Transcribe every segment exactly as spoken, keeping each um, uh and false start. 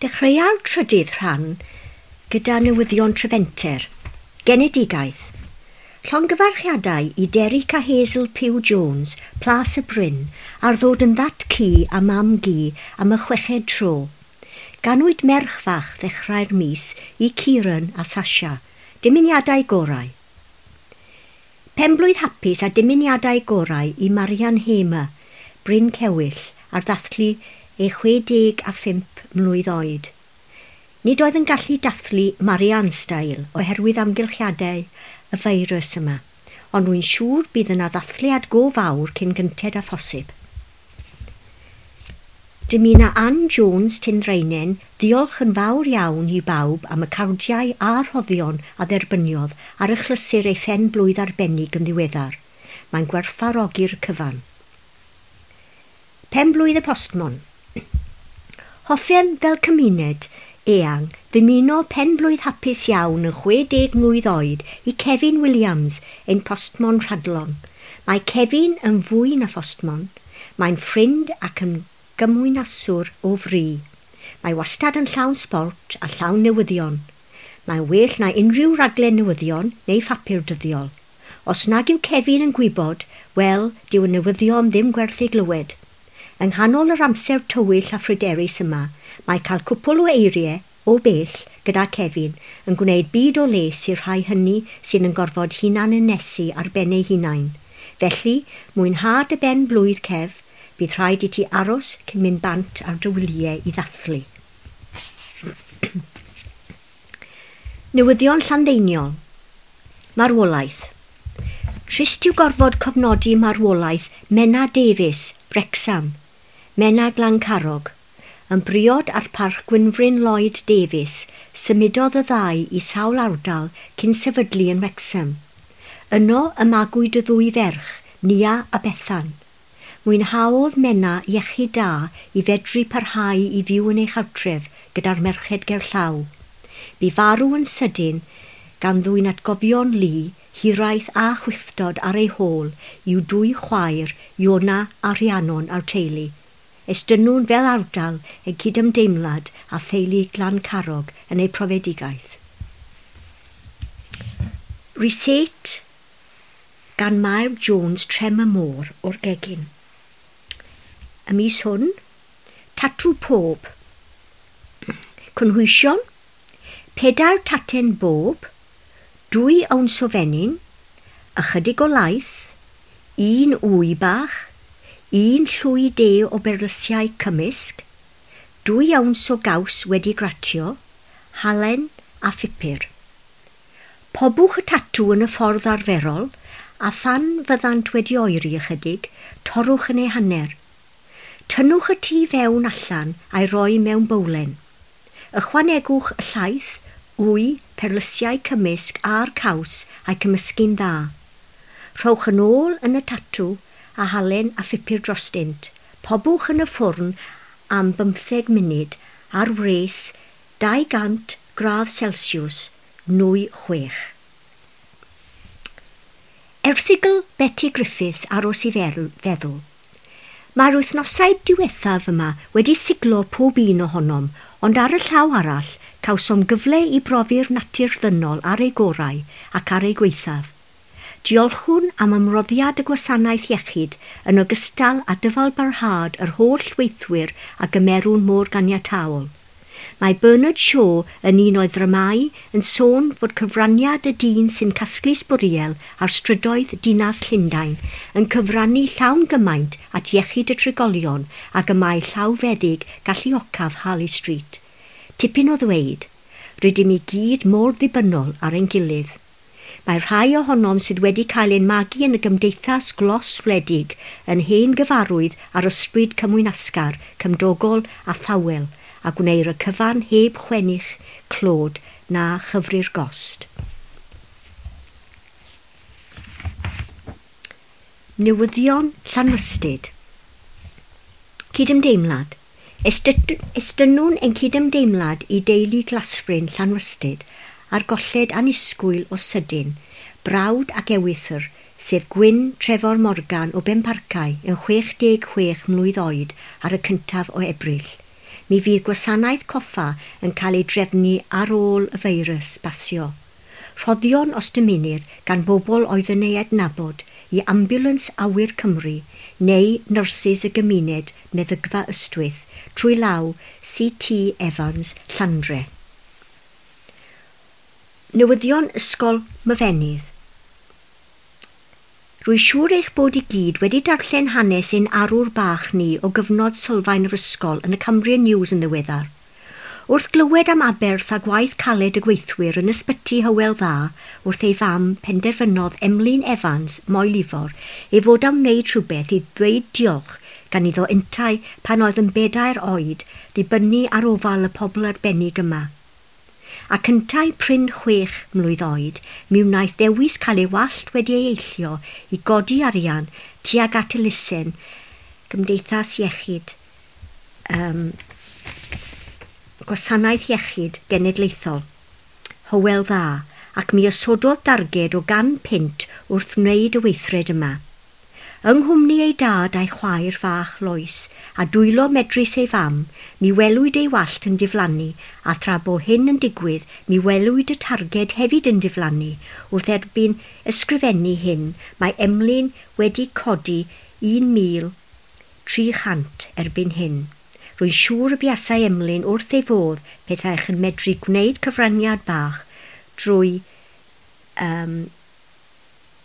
Dechreua'r trydydd rhan gyda newyddion Trefenter. Genedigaeth. Llongyfarchiadau i Derek a Hazel Pugh Jones, Plas y Bryn, ar ddod yn ddad-cu a mam-gu am y chweched tro. Ganwyd merch fach ddechrau'r mis i Kieran a Sasha. Dymuniadau gorau. Penblwydd hapus a dymuniadau gorau i Marian Hamer, Bryn Cewyll, ar ddathlu ei chwe deg a phump mlwydd oed. Nid oedd yn gallu dathlu Marian style oherwydd amgylchiadau y feirws yma, ond rwy'n siŵr bydd yna ddathliad go fawr cyn gynted â phosib. Dymuna Ann Jones Tyndraenen ddiolch yn fawr iawn i bawb am y cardiau a'r rhoddion a dderbyniodd ar achlysur ei phen blwydd arbennig yn ddiweddar. Mae'n gwerthfawrogi'r cyfan. Pen blwydd y postmon. Hoffem fel cymuned eang ddymuno pen blwydd hapus iawn yn chwe deg mlwydd oed i Kevin Williams, ein postmon rhadlon. Mae Kevin yn fwy na phostmon. Mae'n ffrind ac yn gymwynaswr o fri. Mae wastad yn llawn sbort a llawn newyddion. Mae'n well na unrhyw raglen newyddion neu phapur dyddiol. Os nag yw Kevin yn gwybod, wel, dyw y newyddion ddim gwerth ei glywed. Yng nghanol yr amser tywyll a phryderus yma, mae cael cwpl o eiriau o bell gyda Kevin yn gwneud byd o les i'r rhai hynny sydd yn gorfod hunan ynysu ar ben eu hunain. Felly, mwynha dy ben blwydd Kev, bydd rhaid i ti aros cyn mynd bant ar dy wyliau i ddathlu. Newyddion Llanddeiniol. Marwolaeth. Trist yw gorfod cofnodi marwolaeth Menna Davies, Wrecsam, Menna Glancarog. Yn briod ar parch Gwynfryn Lloyd Davies, symudodd y ddau i sawl ardal cyn sefydlu yn Wrecsam. Yno y magwyd y ddwy ferch, Nia a Bethan. Mwynhaodd Menna iechyd da i fedru parhau i fyw yn ei chartref gyda'r merched gerllaw. Bu farw yn sydyn gan ddwyn atgofion lu, hiraeth a chwithdod ar ei hôl i'w dwy chwaer, Iona a Rhiannon a'r teulu. Estynnwn fel ardal eu cydymdeimlad a theulu Glancarog yn eu profedigaeth. Reset gan Mair Jones Trem y Môr o'r gegin. Y mis hwn, tatw pob. Cynhwysion, pedair taten bob, dwy owns o fenyn, ychydig o laeth, un wy bach, un llwy de o berlysiau cymysg, dwy owns o gaws wedi gratio, halen a phupur. Pobwch y tatw yn y ffordd arferol, a phan fyddant wedi oeri ychydig, torrwch yn ei hanner. Tynnwch y tŷ fewn allan a'i roi mewn bowlen. Ychwanegwch y llaeth, wy, perlysiau cymysg a'r caws a'i cymysgu'n dda. Rhowch yn ôl yn y tatw a halen a phupur drostynt. Pobwch yn y ffwrn am bymtheg munud ar wres dau gant gradd Celsius, nwy chwech. Erthygl Betty Griffiths aros i feddwl. Mae'r wythnosau diwethaf yma wedi siglo pob un ohonom, ond ar y llaw arall, cawsom gyfle i brofi'r natur ddynol ar ei gorau ac ar ei gwaethaf. Diolchwn am ymroddiad y gwasanaeth iechyd yn ogystal â dyfalbarhad yr holl weithwyr a gymerwn mor ganiataol. Mae Bernard Shaw yn un o'i ddramâu yn sôn fod cyfraniad y dyn sy'n casglu sbwriel ar strydoedd dinas Llundain yn cyfrannu llawn gymaint at iechyd y trigolion ag y mae llawfeddyg galluocaf Harley Street. Tipyn o ddweud, rydym i gyd mor ddibynnol ar ein gilydd. Mae rhai ohonom sydd wedi cael ein magu yn y gymdeithas glos wledig yn hen gyfarwydd ar ysbryd cymwynasgar, cymdogol a thawel, a gwneir y cyfan heb chwennych, clod na chyfri'r gost. Newyddion Llanrhystud. Cydymdeimlad. Estynnwn ein cydymdeimlad i deulu Glasfryn Llanrhystud a'r golled annisgwyl o sydyn, brawd ac ewythr, sef Gwyn Trefor Morgan o Benparcau yn chwech deg chwech mlwydd oed ar y cyntaf o Ebrill. Mi fydd gwasanaeth coffa yn cael ei drefnu ar ôl y feirws basio. Rhoddion os dymunir gan bobl oedd yn ei adnabod i Ambiwlans Awyr Cymru neu nyrsys y gymuned Meddygfa Ystwyth trwy law C T Evans Llandre. Newyddion Ysgol Myfenydd. Rwy'n siŵr eich bod i gyd wedi darllen hanes ein arwr bach ni o gyfnod sylfaen yr ysgol yn y Cambrian News yn ddiweddar. Wrth glywed am aberth a gwaith caled y gweithwyr yn ysbyty Hywel Dda wrth ei fam penderfynodd Emlyn Evans, Moel Ifor, ei fod am wneud rhywbeth i ddweud diolch gan iddo yntau pan oedd yn bedair oed ddibynnu ar ofal y pobl arbennig yma. Ac yntau prin chwech mlwydd oed, mi wnaeth ddewis cael ei wallt wedi ei eillio i godi arian tuag at elusen Gymdeithas Iechyd, um, Gwasanaeth Iechyd Genedlaethol, Hywel Dda, ac mi osododd darged o gan punt wrth wneud y weithred yma. Yng nghwmni ei dad a'i chwaer fach Lois a dwylo medrus ei fam, mi welwyd ei wallt yn diflannu, a thra bo hyn yn digwydd, mi welwyd y targed hefyd yn diflannu. Wrth erbyn ysgrifennu hyn, mae Emlyn wedi codi un mil tri chant erbyn hyn. Rwy'n siŵr y buasai Emlyn wrth ei fodd petaech yn medru gwneud cyfraniad bach drwy um,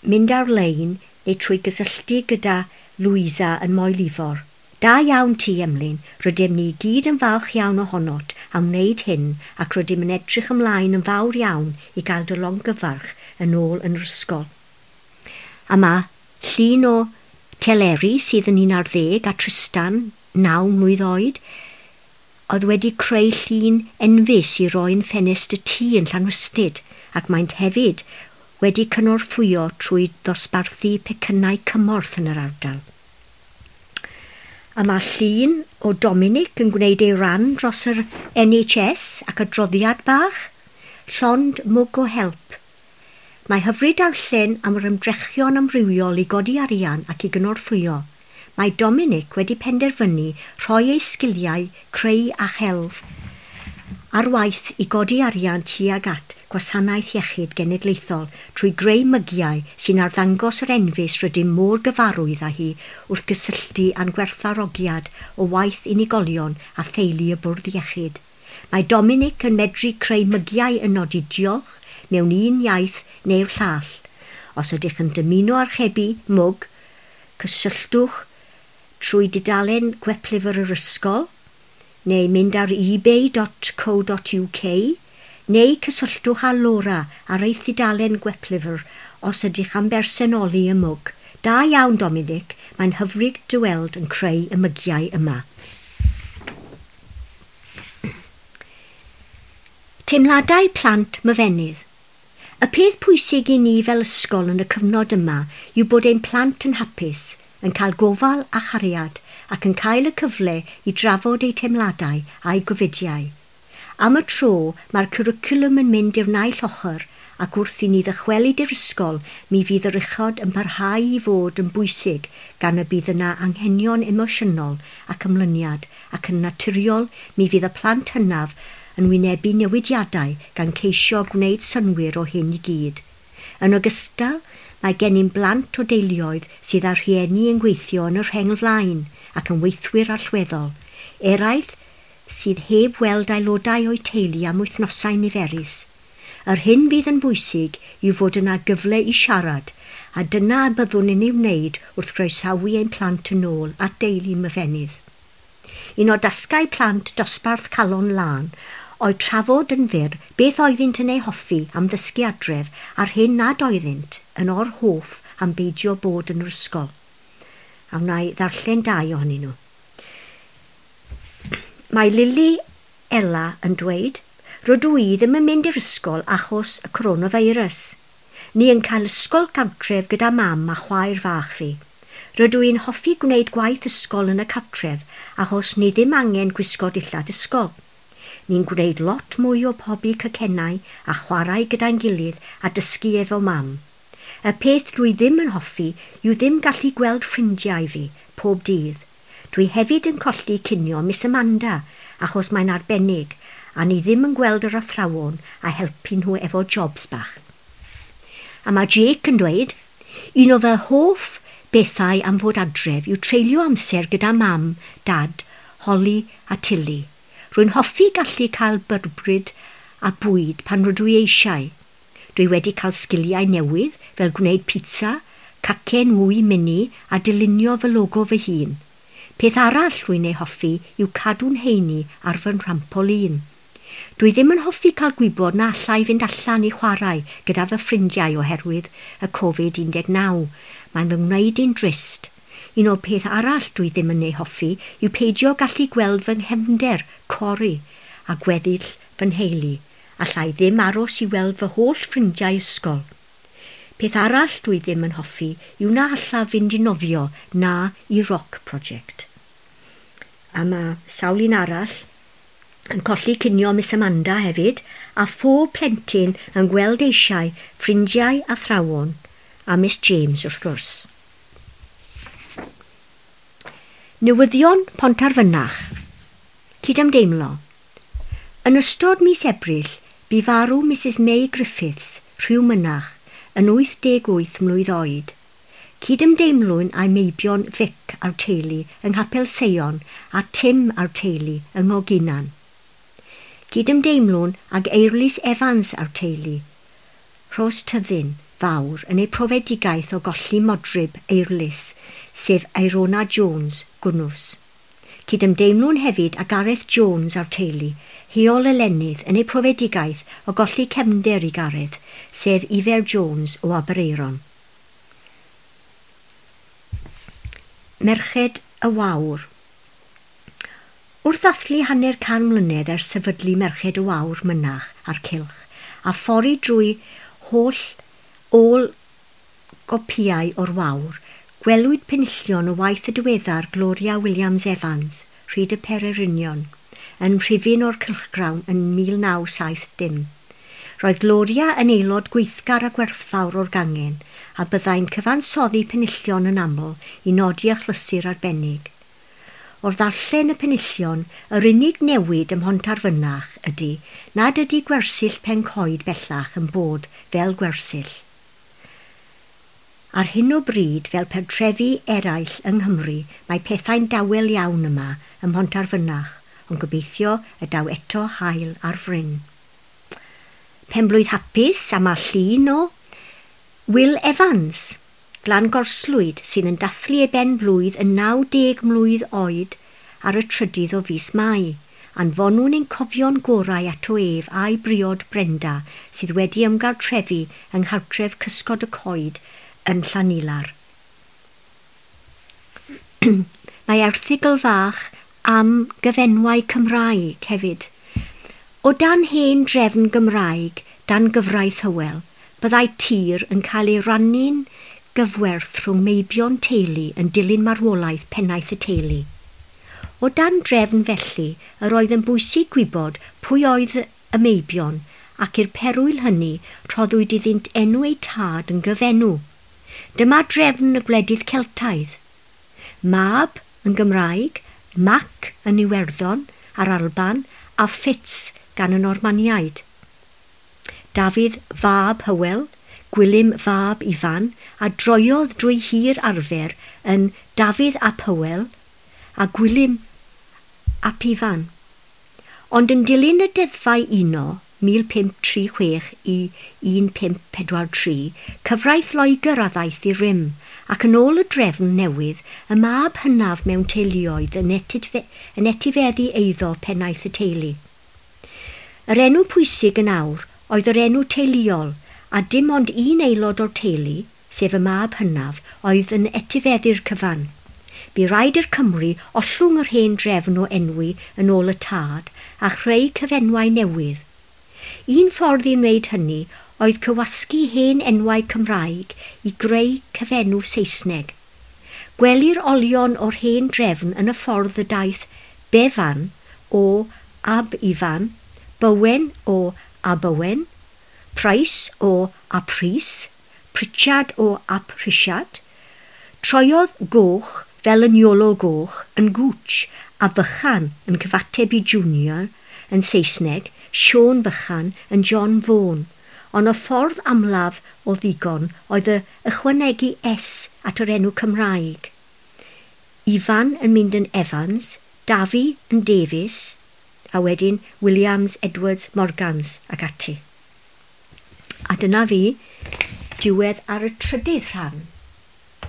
mynd ar-lein neu trwy gysylltu gyda Louisa yn Moel Ifor. Da iawn ti, Emlyn. Rydym ni gyd yn falch iawn ohonot am wneud hyn ac rydym yn edrych ymlaen yn fawr iawn i gael dy longyfarch yn ôl yn yr ysgol. A mae llun o Teleri sydd yn un ar ddeg a Tristan, naw mlwydd oed, oedd wedi creu llun enfys i roi'n ffenest y tŷ yn Llanrhystud, ac maent hefyd wedi cynorthwyo trwy ddosbarthu pecynnau cymorth yn yr ardal. A mae llun o Dominic yn gwneud ei ran dros yr N H S ac adroddiad bach, llond mwg o help. Mae hyfryd darllen am yr ymdrechion amrywiol i godi arian ac i gynorthwyo. Mae Dominic wedi penderfynu rhoi ei sgiliau creu a chelf ar waith i godi arian tuag at Gwasanaeth Iechyd Genedlaethol trwy greu mygiau sy'n arddangos yr enfys rydym mor gyfarwydd â hi wrth gysylltu â'n gwerthfawrogiad o waith unigolion a theulu y bwrdd iechyd. Mae Dominic yn medru creu mygiau yn nodi diolch mewn un iaith neu'r llall. Os ydych yn dymuno archebu mwg, cysylltwch trwy dudalen gweplyfr yr ysgol, neu mynd ar ebay dot co dot U K, neu cysylltwch â Laura ar ei thudalen gweplyfr os ydych am bersonoli y mwg. Da iawn, Dominic, mae'n hyfryd dy weld yn creu y mygiau yma. Teimladau plant myfenydd. Y peth pwysig i ni fel ysgol yn y cyfnod yma yw bod ein plant yn hapus, yn cael gofal a chariad ac yn cael y cyfle i drafod eu teimladau a'u gofidiau. Am y tro, mae'r cwricwlwm yn mynd i'r naill ochr ac wrth i ni ddychwelyd i'r ysgol, mi fydd yr uchod yn parhau i fod yn bwysig gan y bydd yna anghenion emosiynol ac ymlyniad ac yn naturiol mi fydd y plant hynaf yn wynebu newidiadau gan ceisio gwneud synnwyr o hyn i gyd. Yn ogystal, mae gennym blant o deuluoedd sydd â rhieni yn gweithio yn y rheng flaen ac yn weithwyr allweddol, eraill sydd heb weld aelodau o'u teulu am wythnosau niferus. Yr hyn fydd yn bwysig yw fod yna gyfle i siarad, a dyna y byddwn yn ei wneud wrth groesawu ein plant yn ôl at deulu myfenydd. Un o dasgau plant dosbarth Calon Lân oedd trafod yn fyr beth oeddynt yn ei hoffi am ddysgu adref a'r hyn nad oeddynt yn orhoff am beidio bod yn yr ysgol. A wna i ddarllen dau ohonyn nhw. Mae Lily Ella yn dweud, rydw i ddim yn mynd i'r ysgol achos y coronavirus. Ni yn cael ysgol gartref gyda mam a chwaer fach fi. Rydw i'n hoffi gwneud gwaith ysgol yn y cartref achos ni ddim angen gwisgo dillad ysgol. Ni'n gwneud lot mwy o pobi cacennau a chwarae gyda'n gilydd a dysgu efo mam. Y peth dwi ddim yn hoffi yw ddim gallu gweld ffrindiau fi pob dydd. Dwi hefyd yn colli cinio Miss Amanda achos mae'n arbennig a ni ddim yn gweld yr athrawon a helpu nhw efo jobs bach. A mae Jake yn dweud, un o fy hoff bethau am fod adref yw treulio amser gyda mam, dad, Holly a Tilly. Rwy'n hoffi gallu cael byrbryd a bwyd pan rydw i eisiau. Dwi wedi cael sgiliau newydd fel gwneud pizza, cacen wy mini a dylunio fy logo fy hun. Peth arall rwy'n ei hoffi yw cadw'n heini ar fy nhrampolin. Dwi ddim yn hoffi cael gwybod na allai fynd allan i chwarae gyda fy ffrindiau oherwydd y Covid un deg naw. Mae'n fy ngwneud i'n drist. Un o'r peth arall dwi ddim yn ei hoffi yw peidio gallu gweld fy nghefnder, Cori, a gweddill fy nheulu. Allai ddim aros i weld fy holl ffrindiau ysgol. Peth arall dwi ddim yn hoffi yw na allaf fynd i nofio na i Rock Project. A mae sawl un arall yn colli cinio Miss Amanda hefyd, a phob plentyn yn gweld eisiau ffrindiau athrawon a Miss James wrth gwrs. Newyddion Pontarfynach. Cydymdeimlo. Yn ystod mis Ebrill, bu farw Missus May Griffiths, Rhiw Mynach, yn wyth deg wyth mlwydd oed. Cydymdeimlwn â'i meibion Vic a'r teulu yng Nghapel Seion a Tim a'r teulu yng Ngoginan. Cydymdeimlwn ag Eirlys Evans a'r teulu, Rhos Tyddyn Fawr yn ei profedigaeth o golli modryb Eirlys, sef Eirona Jones, Gwnnws. Cydymdeimlwn hefyd â Gareth Jones a'r teulu, Heol Elenydd yn ei profedigaeth o golli cefnder i Gareth, sef Ifer Jones o Aberaeron. Merched y Wawr. Wrth ddathlu hanner can mlynedd ers sefydlu Merched y Wawr Mynach a'r Cylch, a phori drwy holl ôl gopïau o'r Wawr, gwelwyd penillion o waith y diweddar Gloria Williams Evans, Rhyd y Pererinion, yn rhifyn o'r cylchgrawn yn mil naw saith dim. Roedd Gloria yn aelod gweithgar a gwerthfawr o'r gangen a byddai'n cyfansoddi penillion yn aml i nodi achlysur arbennig. O'r ddarllen y penillion, yr unig newid ym Mhontarfynach ydy nad ydy gwersyll Pencoed bellach yn bod fel gwersyll. Ar hyn o bryd, fel pentrefi eraill yng Nghymru, mae pethau'n dawel iawn yma ym Mhontarfynach, ond gobeithio y daw eto haul ar fryn. Penblwydd hapus a mae llun o Will Evans, Glan Gorslwyd, sydd yn dathlu ei ben blwydd yn naw deg mlwydd oed ar y trydydd o fis Mai. Anfonwn ein cofion gorau ato ef a'i briod Brenda sydd wedi ymgartrefu yng nghartref Cysgod y Coed yn Llanilar. Mae erthygl fach am gyfenwau Cymraeg hefyd. O dan hen drefn Gymraeg, dan gyfraith Hywel, byddai tir yn cael ei rannu'n gyfwerth rhwng meibion teulu yn dilyn marwolaeth pennaeth y teulu. O dan drefn felly, yr oedd yn bwysig gwybod pwy oedd y meibion ac i'r perwyl hynny rhoddwyd iddynt enw eu tad yn gyfenw. Dyma drefn y gwledydd Celtaidd. Mab yn Gymraeg, Mac yn Iwerddon a'r Alban a Fitz gan y Normaniaid. Dafydd fab Hywel, Gwilym fab Ifan, a droiodd drwy hir arfer yn Dafydd ap Hywel a Gwilym ap Ifan. Ond yn dilyn y deddfau uno mil pump tri chwech i un pump pedwar tri, cyfraith Loegr a ddaeth i rym, ac yn ôl y drefn newydd, y mab hynaf mewn teuluoedd yn, etifeddu, yn etifeddu eiddo pennaeth y teulu. Yr enw pwysig yn awr oedd yr enw teuluol, a dim ond un aelod o'r teulu, sef y mab hynaf, oedd yn etifeddu'r cyfan. Bu raid i'r Cymry ollwng yr hen drefn o enwi yn ôl y tad a chreu cyfenwau newydd. Un ffordd i wneud hynny oedd cywasgu hen enwau Cymraeg i greu cyfenw Saesneg. Gwelir olion o'r hen drefn yn y ffordd y daeth Bevan o Ab Ifan, Bowen o Abowen, Price o Aprys, Pritchard o Ap Rhisiart, troiodd Goch fel yn Iolo Goch yn Gooch a Fychan yn cyfateb i Junior yn Saesneg, Siôn Fychan yn John Vaughan, ond y ffordd amlaf o ddigon oedd y ychwanegu S at yr enw Cymraeg. Ifan yn mynd yn Evans, Dafi yn Davies, a wedyn Williams, Edwards, Morgans ac ati. A dyna fi, diwedd ar y trydydd rhan.